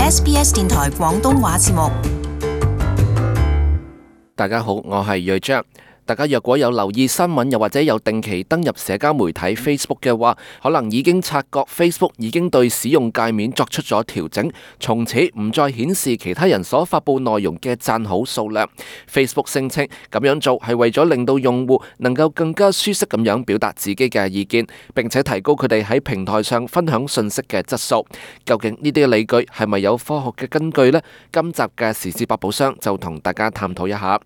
SBS 電台廣東話節目。大家好，我係睿章。大家若果有留意新聞，又或者有定期登入社交媒體 Facebook 嘅話，可能已經察覺 Facebook 已經對使用界面作出咗調整，從此唔再顯示其他人所發佈內容嘅讚好數量。Facebook 聲稱咁樣做係為咗令到用戶能夠更加舒適咁樣表達自己嘅意見，並且提高佢哋喺平台上分享信息嘅質素。究竟呢啲理據係咪有科學嘅根據呢？今集嘅時事百寶箱就同大家探討一下。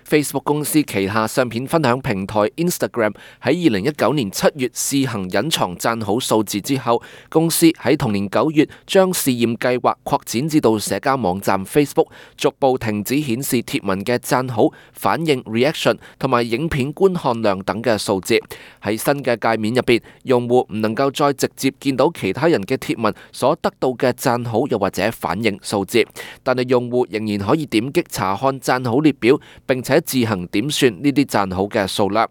Facebook 公司旗下相片分享平台 Instagram 喺2019年7月試行隱藏讚好數字之後，公司喺同年9月將試驗計劃擴展至到社交網站 Facebook， 逐步停止顯示貼文嘅讚好、反應 reaction 同埋影片觀看量等嘅數字。喺新嘅界面入邊，用戶唔能夠再直接見到其他人嘅貼文所得到嘅讚好又或者反應數字，但係用戶仍然可以點擊查看讚好列表，並且自行點算呢啲讚好嘅數量。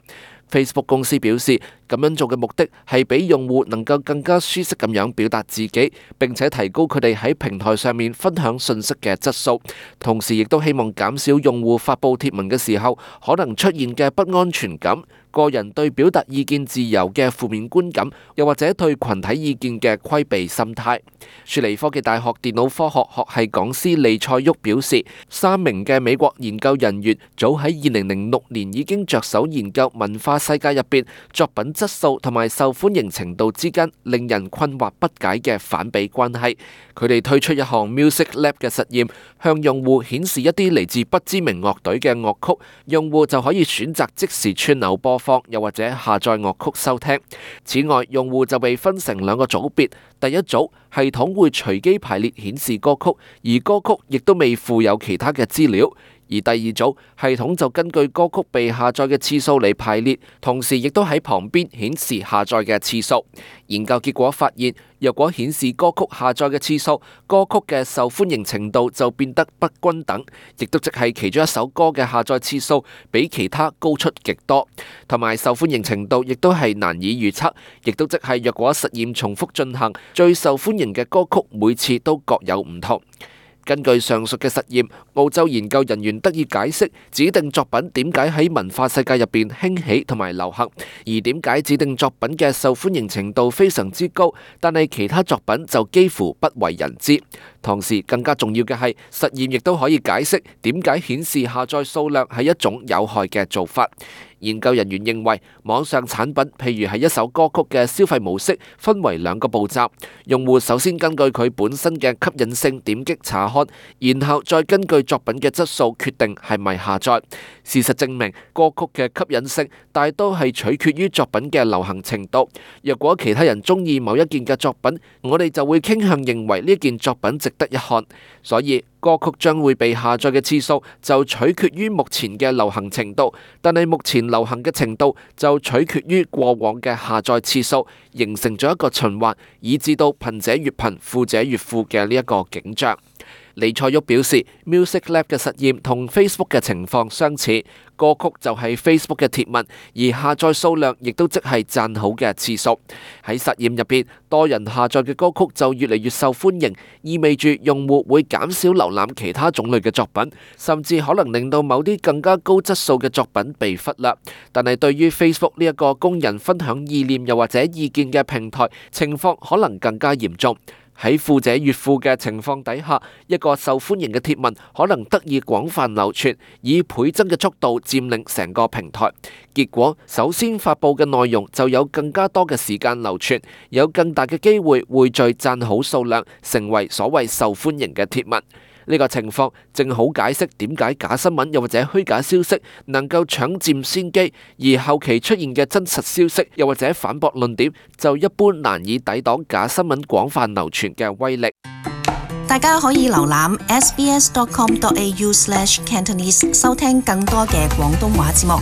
Facebook 公司表示，咁樣做嘅目的係俾用戶能夠更加舒適咁樣表達自己，並且提高佢哋喺平台上面分享信息嘅質素。同時亦都希望減少用戶發佈貼文嘅時候可能出現嘅不安全感、個人對表達意見自由嘅負面觀感，又或者對群體意見嘅規避心態。雪梨科技大學電腦科學學系講師利塞沃表示，3名嘅美國研究人員早喺2006年已經着手研究文化世界入邊作品質素同埋受歡迎程度之間令人困惑不解嘅反比關係。佢哋推出一項 Music Lab 嘅實驗，向用戶顯示一啲嚟自不知名樂隊嘅樂曲，用戶就可以選擇即時串流播放，又或者下載樂曲收聽。此外，用戶就被分成2個組別，第一組系統會隨機排列顯示歌曲，而歌曲亦都未附有其他嘅資料。而第二組系統就根據歌曲被下載嘅次數嚟排列，同時亦都喺旁邊顯示下載嘅次數。研究結果發現，若果顯示歌曲下載嘅次數，歌曲嘅受歡迎程度就變得不均等，亦都即係其中一首歌嘅下載次數比其他高出極多，同埋受歡迎程度亦都係難以預測，亦都即係若果實驗重複進行，最受歡迎嘅歌曲每次都各有唔同。根據上述嘅實驗，澳洲研究人員得以解釋指定作品點解喺文化世界入邊興起同埋流行，而點解指定作品嘅受歡迎程度非常之高，但係其他作品就幾乎不為人知。同時更加重要嘅係，實驗亦都可以解釋點解顯示下載數量係一種有害嘅做法。研究人員認為，網上產品譬如係一首歌曲嘅消費模式，分為2個步驟。用戶首先根據佢本身嘅吸引性點擊查看，然後再根據作品嘅質素決定係咪下載。事實證明，歌曲嘅吸引性大多係取決於作品嘅流行程度。若果其他人中意某一件嘅作品，我哋就會傾向認為呢件作品值得一看。所以歌曲將會被下載嘅次數就取決於目前嘅流行程度，但係目前流行嘅程度就取決於過往嘅下載次數，形成咗一個循環，以致到貧者越貧、富者越富嘅呢一個景象。利塞沃表示 ，Music Lab 嘅實驗同 Facebook 嘅情況相似，歌曲就係 Facebook 嘅貼文，而下載數量亦都即係讚好嘅次數。喺實驗入邊，多人下載嘅歌曲就越嚟越受歡迎，意味住用戶會減少瀏覽其他種類嘅作品，甚至可能令到某啲更加高質素嘅作品被忽略。但係對於 Facebook 呢一個供人分享意念又或者意見嘅平台，情況可能更加嚴重。喺富者越富嘅情況底下，一個受歡迎嘅貼文可能得以廣泛流傳，以倍增嘅速度佔領成個平台。結果，首先發佈嘅內容就有更加多嘅時間流傳，有更大嘅機會匯聚讚好數量，成為所謂受歡迎嘅貼文。呢個情況正好解釋點解假新聞又或者虛假消息能夠搶佔先機，而後期出現嘅真實消息又或者反駁論點就一般難以抵擋假新聞廣泛流傳嘅威力。大家可以瀏覽 sbs.com.au/cantonese 收聽更多嘅廣東話節目。